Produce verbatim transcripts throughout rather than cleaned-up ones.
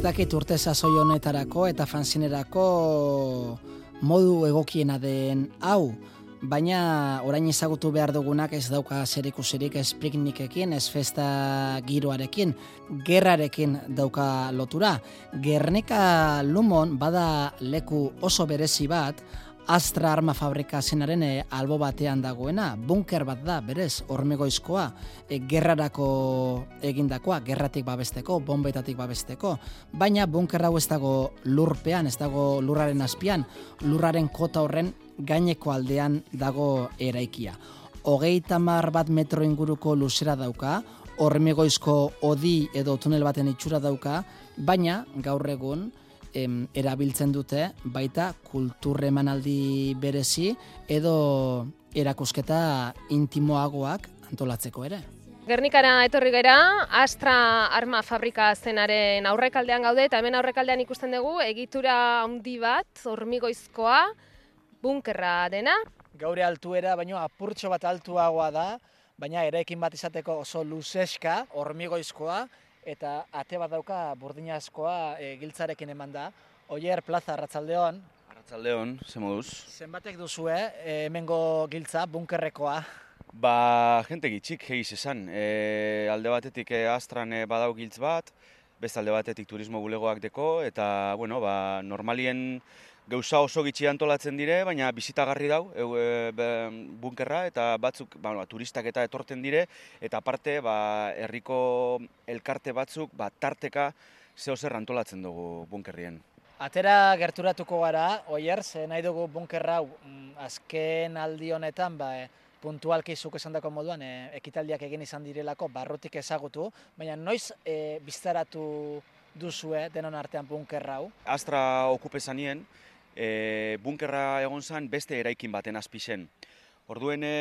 dakit urte sasoi honetarako eta fanzinerako modu egokiena den hau, baina orain ezagutu behar dugunak ez dauka zerikusirik ez piknikekin, ez festa giroarekin, gerrarekin dauka lotura. Gernika Lumon bada leku oso berezi bat, Astra arma fabrika zenaren e, albo batean dagoena, bunker bat da, berez, hormigoizkoa, e, gerrarako egindakoa, gerratik babesteko, bombetatik babesteko, baina bunker hau ez dago lurpean, ez dago lurraren azpian, lurraren kota horren gaineko aldean dago eraikia. Hogeita hamar bat metro inguruko luzera dauka, hormigoizko hodi edo tunel baten itxura dauka, baina gaur egun Em, erabiltzen dute baita kultur emanaldi berezi edo erakusketa intimoagoak antolatzeko ere. Gernikara etorri gera, Astra arma fabrika zenaren aurrekaldean gaude, eta hemen aurrekaldean ikusten dugu egitura handi bat, hormigoizkoa, bunkerra dena. Gaure altuera, baino apurtxo bat altuagoa da, baina eraikin bat izateko oso luzeska, hormigoizkoa, eta ate bat dauka burdinazkoa e, giltzarekin eman da. Oier Plaza, arratsaldeon. Arratsaldeon, ze moduz? Zenbatek duzue e, hemengo giltza, bunkerrekoa? Ba, jente gitxik egiz esan. E, alde batetik e, Astran e, badau giltz bat, beste alde batetik turismo bulegoak deko, eta, bueno, ba, normalien gauza oso gitxi antolatzen dire, baina bizitagarri dau e, e, bunkerra, eta batzuk ba, turistak eta etorten dire, eta aparte ba, herriko elkarte batzuk ba, tarteka zeo zer antolatzen dugu bunkerrien. Atera gerturatuko gara, Oier, ze nahi dugu bunkerra hau azken aldi honetan, ba, e, puntualki zuk esandako moduan, e, ekitaldiak egin izan direlako, barrutik ezagutu, baina noiz e, biztaratu duzue denon artean bunkerra hau? Astra okupe zanien, E, bunkerra egon zan beste eraikin baten azpizen. Orduen e,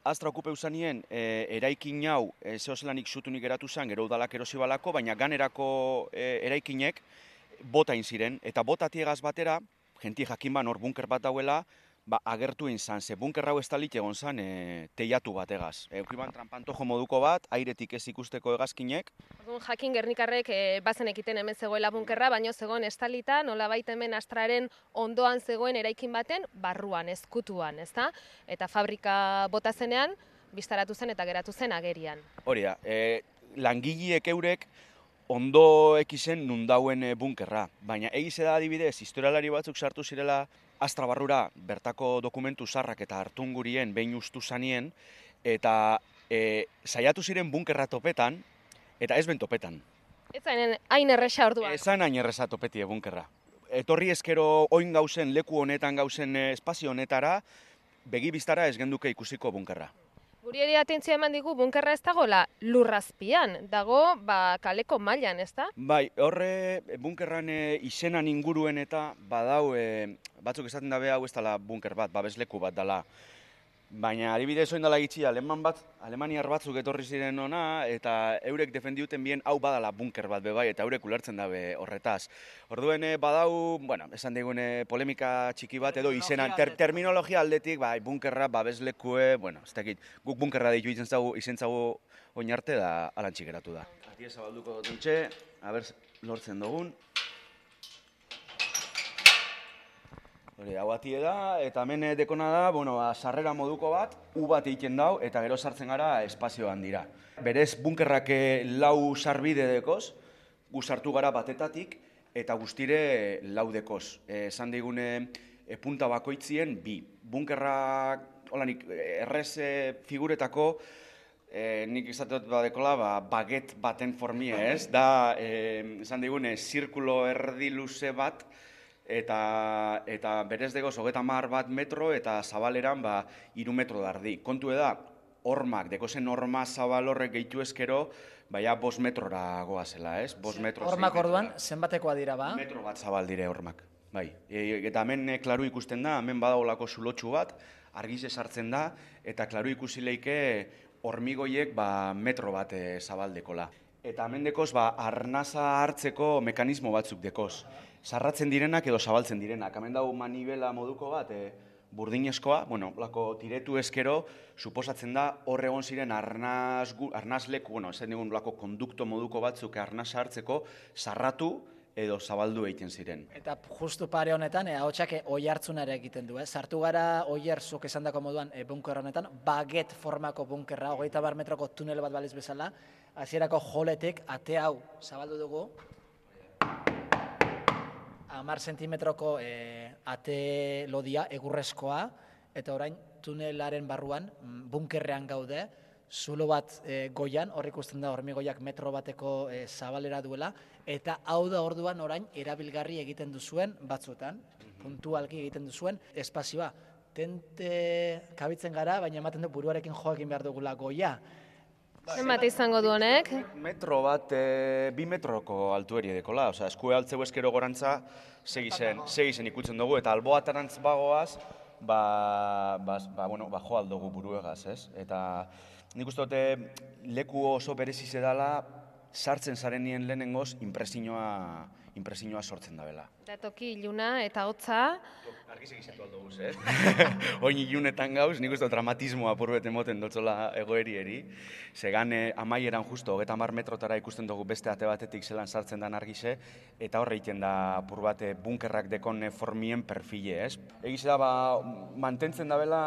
Astra okupeu zanien e, eraikin hau e, zehozelanik zutunik geratu zan, gero udalak erosi balako, baina ganerako e, eraikinek botain ziren, eta botatiegaz batera, jenti jakin ban hor bunker bat dauela, ba, agertu izan, ze bunker hau estalit egon zan e, teiatu bat egaz. Eukiban trampantojo moduko bat, airetik ez ikusteko egazkinek. Orduan, jakin Gernikarrek e, bazen ekiten hemen zegoela bunkerra, baino zegoen estalita, nolabait hemen Astraren ondoan zegoen eraikin baten, barruan, ezkutuan, ezta? Eta fabrika bota zenean, biztaratu zen eta geratu zen agerian. Hori da, e, langileek eurek ondo ekizen nundauen e, bunkerra, baina egize da adibidez, historialari batzuk sartu zirela Astra barrura bertako dokumentu zarrak eta hartungurien behin ustu zanien, eta e, saiatu ziren bunkerra topetan, eta ez ben topetan. Ez zainen hain erresa orduan. Ez zain hain erresa topetie bunkerra. Etorri ezkero oin gauzen, leku honetan gauzen e, espazio honetara, begi biztara ez genduke ikusiko bunkerra. Guri ere atentzioa eman digu bunkerra ez dagoela lurrazpian, dago ba, kaleko mailan, ez da? Bai, horre bunkerran e, izenan inguruen eta badau, e, batzuk esaten dabe hau ez dela bunker bat, babesleku bat dela. Baina adibidez oin dela gitxia, aleman bat, alemaniar batzuk etorri ziren ona, eta eurek defendiuten bien hau badala bunker bat bebai, eta eurek ulertzen dabe horretaz. Orduen badau, bueno, esan digune polemika txiki bat, edo izenan, ter, terminologia aldetik, bai, bunkerra, babeslekue, bueno, ez dakit, guk bunkerra ditu izen zagu, izen zagu oin arte da alantxik geratu da. Atia zabalduko dutxe, aber lortzen dugun. Hori, hau atie da, eta hemen dekona da, bueno, sarrera moduko bat, U bat egiten dau, eta gero sartzen gara espazioan dira. Berez, bunkerrak lau sarbide dekoz, gu sartu gara batetatik, eta guztire lau dekoz. Esan digune, e, punta bakoitzien bi. Bunkerrak, holanik, errez e, figuretako, e, nik izateot badekola, ba, baget baten formie, ez? Da, e, esan digune, zirkulo erdi luze bat, eta eta berez degoz hogeita hamar bat metro eta zabaleran ba hiru metro dardi. Kontu da, hormak, dekozen horma zabal horrek gehitu ezkero, baina bost metrora goazela, ez? Bost metro. Hormak orduan, zenbatekoa dira ba? Metro bat zabal dire hormak, bai. E, eta hemen e, klaru ikusten da, hemen badaolako zulotxu bat, argize sartzen da, eta klaru ikusi leike hormigoiek ba, metro bat e, zabaldekola. Eta hemen dekoz, ba, arnaza hartzeko mekanismo batzuk dekoz. Sarratzen direnak edo zabaltzen direnak. Hemen dago manibela moduko bat, e, burdinezkoa, bueno, lako tiretu ezkero, suposatzen da hor egon ziren arnaz, arnazleku, bueno, ez digun lako kondukto moduko batzuk arnaza hartzeko, sarratu edo zabaldu egiten ziren. Eta justu pare honetan, e, ahotsak oi hartzunare egiten du, eh? Sartu gara oier zuk esandako moduan e, bunker honetan, baget formako bunkerra, hogeita bar metroko tunel bat baliz bezala, hasierako joletik ate hau zabaldu dugu, hamar zentimetroko e, ate lodia, egurrezkoa, eta orain tunelaren barruan, bunkerrean gaude, zulo bat e, goian, hor ikusten da hormigoiak metro bateko e, zabalera duela, eta hau da orduan orain erabilgarri egiten duzuen batzuetan, puntualki egiten duzuen espazioa. Tente kabitzen gara, baina ematen du buruarekin joakin behar dugula goia. Zenbat izango du honek? Metro bat, e, bi metroko altueri dekola, osea, eskue altzeu eskero gorantza segi zen, segi zen ikutzen dugu, eta alboatarantz bagoaz, ba, ba, ba, bueno, ba, jo aldugu buruegaz, ez? Eta nik uste dute leku oso bereziz edala, sartzen zarenien lehenengoz, impresioa, impresioa sortzen da bela. Da toki iluna eta hotza. Argiz egizetu aldo guz, eh? Oin ilunetan gauz, nik uste dramatismoa purbet emoten dotzola egoeri eri. Zegan eh, amaieran justo, hogeta hamar metrotara ikusten dugu beste ate batetik zelan sartzen dan argize, eta horre egiten da purbate bunkerrak dekon formien perfile, ez? Egize da, ba, mantentzen da bela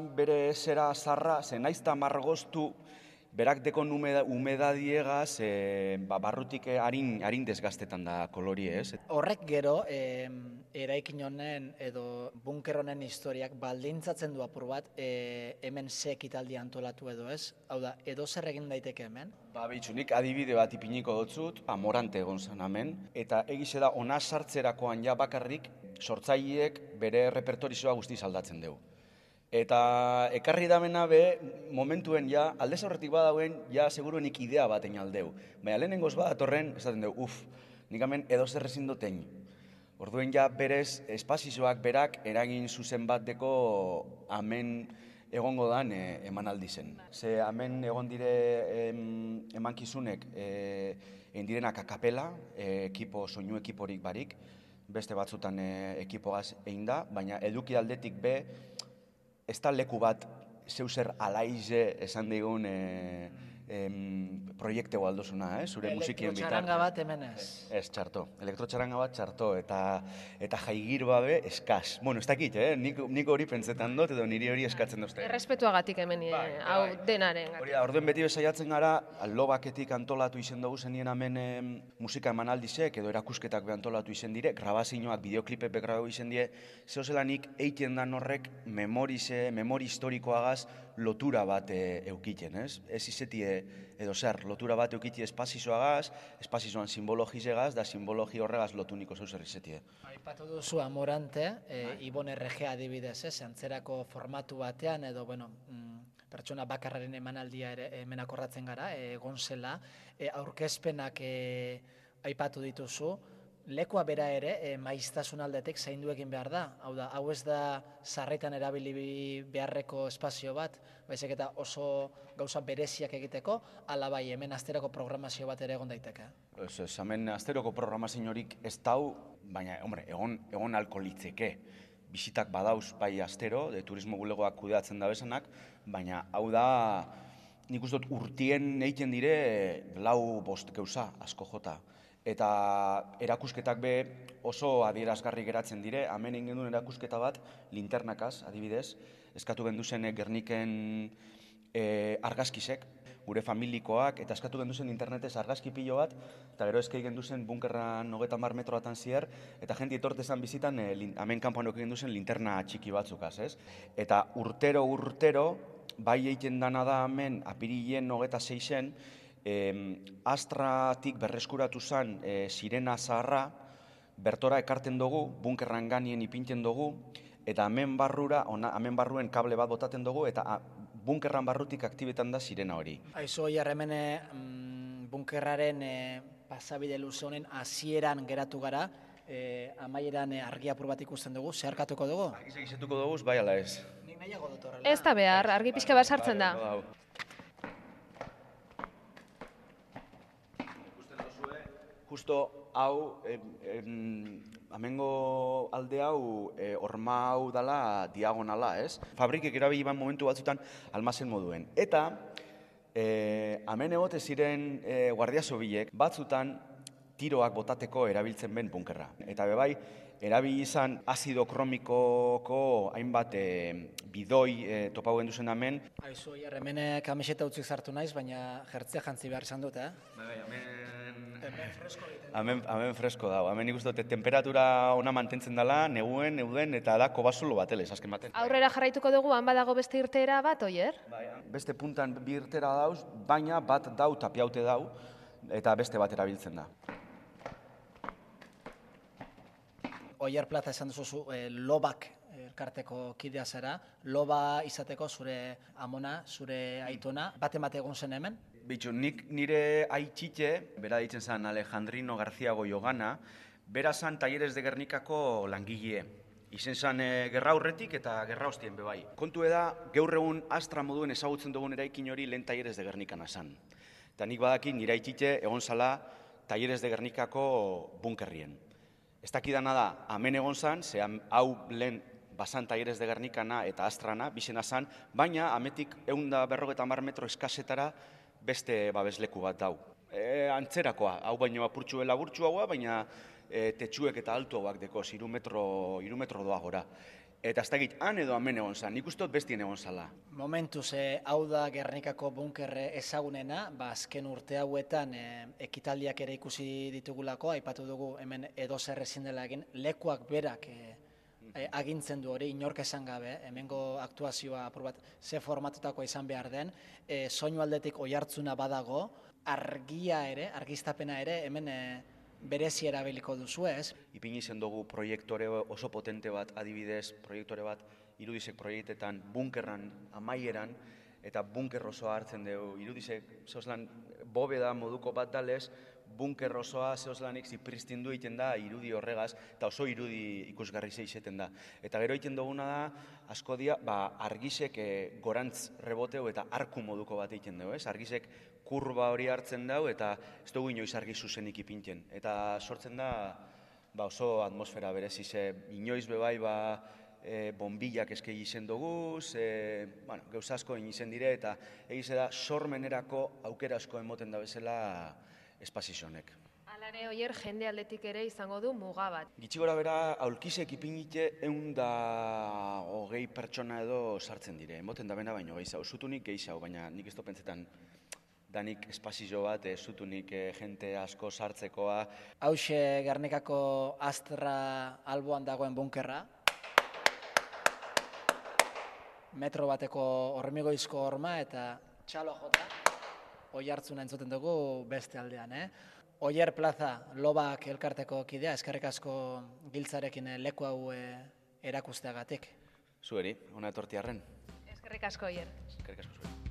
bere zera zarra, ze naizta margoztu, berak dekon umeda, umedadiegaz, e, ba, barrutik harin, harin desgaztetan da kolori, ez? Horrek gero, e, eraikin honen edo bunker honen historiak baldintzatzen du apur bat, e, hemen ze ekitaldi antolatu edo ez? Hau da, edo zer egin daiteke hemen? Ba, behitxu, nik adibide bat ipiniko dotzut, amorante egon zen hemen, eta egize da, ona sartzerakoan ja bakarrik, sortzaileek bere repertorizoa guztiz aldatzen dugu. Eta ekarri damena be, momentuen ja, aldez aurretik badauen, ja seguruenik idea baten aldeu. Baina lehenengoz badatorren, esaten dugu, uf, nik hemen edo zer ezin duten. Orduen ja berez, espazizoak berak eragin zuzen bat deko hemen egongo dan e, emanaldi zen. Ze hemen egon dire em, emankizunek, e, egin direnak akapela, e, ekipo, soinu ekiporik barik, beste batzutan e, ekipogaz egin da, baina eduki aldetik be, ez da leku bat zeuzer alaize esan digun e, em, proiekteo aldozuna, eh? Zure musikien bitar. Elektrotxaranga bat hemen ez. Ez, txarto. Elektrotxaranga bat txarto, eta, eta jaigir babe eskaz. Bueno, ez dakit, eh? Nik, nik hori pentsetan dut, edo niri hori eskatzen duzte. Errespetuagatik hemen, eh, Bai, hau bai. denaren. Hori da, orduen beti bezaiatzen gara, lobaketik antolatu izen dugu zenien hemen em, musika emanaldizek, edo erakusketak be antolatu izen dire, grabazioak, bideoklipek be grabau izen die, zehozelanik eiten dan horrek memorize, memori historikoagaz lotura bat e, eukiten, ez? Ez izetie, edo zer, lotura bat eukiti espazizoagaz, espazizoan simbologizegaz, da simbologi horregaz lotuniko zeuzer izetie. Aipatu duzu Amorante, e, Ibon R G adibidez, ez? Antzerako formatu batean, edo, bueno, mm, pertsona bakarraren emanaldia ere hemen akordatzen gara, e, egon zela, e, aurkezpenak e, aipatu dituzu, lekua bera ere, e, maiztasun aldetik zaindu egin behar da. Hau da, hau ez da sarritan erabili beharreko espazio bat, baizik eta oso gauza bereziak egiteko, ala bai hemen asteroko programazio bat ere egon daiteke. Ez, ez, hemen asteroko programaziorik ez dau, baina, hombre, egon, egon alko litzeke. Bisitak badauz bai astero, de turismo bulegoak kudeatzen da bezanak, baina hau da, nik uste dut urtien egiten dire lau bost gauza asko jota. Eta erakusketak be oso adierazgarri geratzen dire, hemen egin duen erakusketa bat, linternakaz, adibidez, eskatu genduzen Gerniken e, argazkizek, gure familikoak, eta eskatu genduzen internetez argazki pilo bat, eta gero eskei genduzen bunkerran hogeta hamar metroatan zier, eta jenti etortezan bizitan, e, hemen kanpoan egin genduzen linterna txiki batzukaz, ez? Eta urtero, urtero, bai egiten dana da hemen, apirilen hogeta seixen, E, astratik berreskuratu zen e, sirena zaharra, bertora ekarten dugu, bunkerran ganien ipinten dugu, eta hemen barrura, ona, hemen barruen kable bat botaten dugu, eta a, bunkerran barrutik aktibetan da sirena hori. Aizu, jarremene mm, bunkerraren e, pasabide luze honen hasieran geratu gara, e, amaieran e, argi apur bat ikusten dugu, zeharkatuko dugu? Argi segizetuko dugu, bai ala ez. Nik nahiago dut horrela. Ez da behar, argi pixka bat sartzen da. Justo hau, amengo alde hau, e, horma hau dala diagonala, ez? Fabrikek erabili ban momentu batzutan almazen moduen. Eta, e, hemen egote ziren e, guardia zobilek, batzutan tiroak botateko erabiltzen ben bunkerra. Eta bebai, erabili izan azido kromikoko hainbat e, bidoi e, topau genduzen hemen. Aizu, Oier, hemen kamiseta utzik sartu naiz, baina jertzea jantzi behar izan dut, eh? Bai, hemen... Hemen fresko egiten. Hemen, hemen fresko dago. Hemen ikusten dute temperatura ona mantentzen dela, neguen, neuden, eta da kobasulo batelez, azken baten. Aurrera jarraituko dugu, han badago beste irteera bat, Oier? Bai, beste puntan bi irtera dauz, baina bat dau tapiaute dau, eta beste bat erabiltzen da. Oier Plaza esan duzu e, lobak elkarteko kidea zara, loba izateko zure amona, zure aitona, bate bat egon zen hemen? Bitxu, nik nire aitite, bera ditzen zen Alejandrino García Goyogana, bera zan Talleres de Gernikako langile. Izen zen e, gerra aurretik eta gerra ostien bebai. Kontu eda, gaur egun Astra moduen ezagutzen dugun eraikin hori lehen Talleres de Gernikana zan. Eta nik badaki nire aitite egon zala Talleres de Gernikako bunkerrien. Ez dakidana da, hemen egon zan, ze hau lehen basan Talleres de Gernikana eta Astrana, bizena zan, baina ametik ehun eta berrogeita hamar metro eskasetara beste babesleku bat dau. E, antzerakoa, hau baino apurtxue laburtxu haua, baina e, tetsuek eta altu hauak dekoz, iru metro, iru metro doa gora. Eta ez dakit, han edo hemen egon zan, nik uste dut bestien egon zala. Momentuz, e, hau da Gernikako bunkerre ezagunena, ba, azken urte hauetan e, ekitaldiak ere ikusi ditugulako, aipatu dugu hemen edo zer ezin dela egin, lekuak berak e, e, agintzen du hori, inork esan gabe, hemengo aktuazioa apur bat ze formatutakoa izan behar den, e, soinu aldetik oihartzuna badago, argia ere, argiztapena ere, hemen e, berezi erabiliko duzu ez? Ipini zen dugu proiektore oso potente bat, adibidez, proiektore bat, irudizek proiektetan, bunkerran, amaieran, eta bunker osoa hartzen dugu. Irudizek, zeozlan, bobeda moduko bat dalez, bunker osoa zeozlanik zipristindu egiten da irudi horregaz, eta oso irudi ikusgarri zeizeten da. Eta gero egiten duguna da, asko dia, ba, argisek e, gorantz reboteu eta arku moduko bat egiten dugu, ez? Argisek kurba hori hartzen dugu eta ez dugu inoiz argi zuzenik ipintzen. Eta sortzen da, ba, oso atmosfera berezi, ze inoiz bebai, ba, e, bombillak eskegi izen dugu, ze, bueno, gauza asko izen dire, eta egize da, sormenerako aukera asko emoten da bezala espazizonek. Alare, Oier, jende aldetik ere izango du muga bat. Gitxi gora bera, aulkizek ipinite egun da hogei pertsona edo sartzen dire. Emoten da bena baino gehiago. Zutunik gehiago, baina nik ez do pentsetan danik espazio bat, e, zutunik e, jente asko sartzekoa. Hauxe Gernikako Astra alboan dagoen bunkerra. Metro bateko hormigoizko horma eta txalo jota. Oihartzuna entzuten dugu beste aldean, eh? Oier Plaza, lobak elkarteko kidea, eskerrik asko giltzarekin leku hau erakusteagatik. Zueri, ona etortiarren. Eskerrik asko, Oier. Eskerrik asko zueri.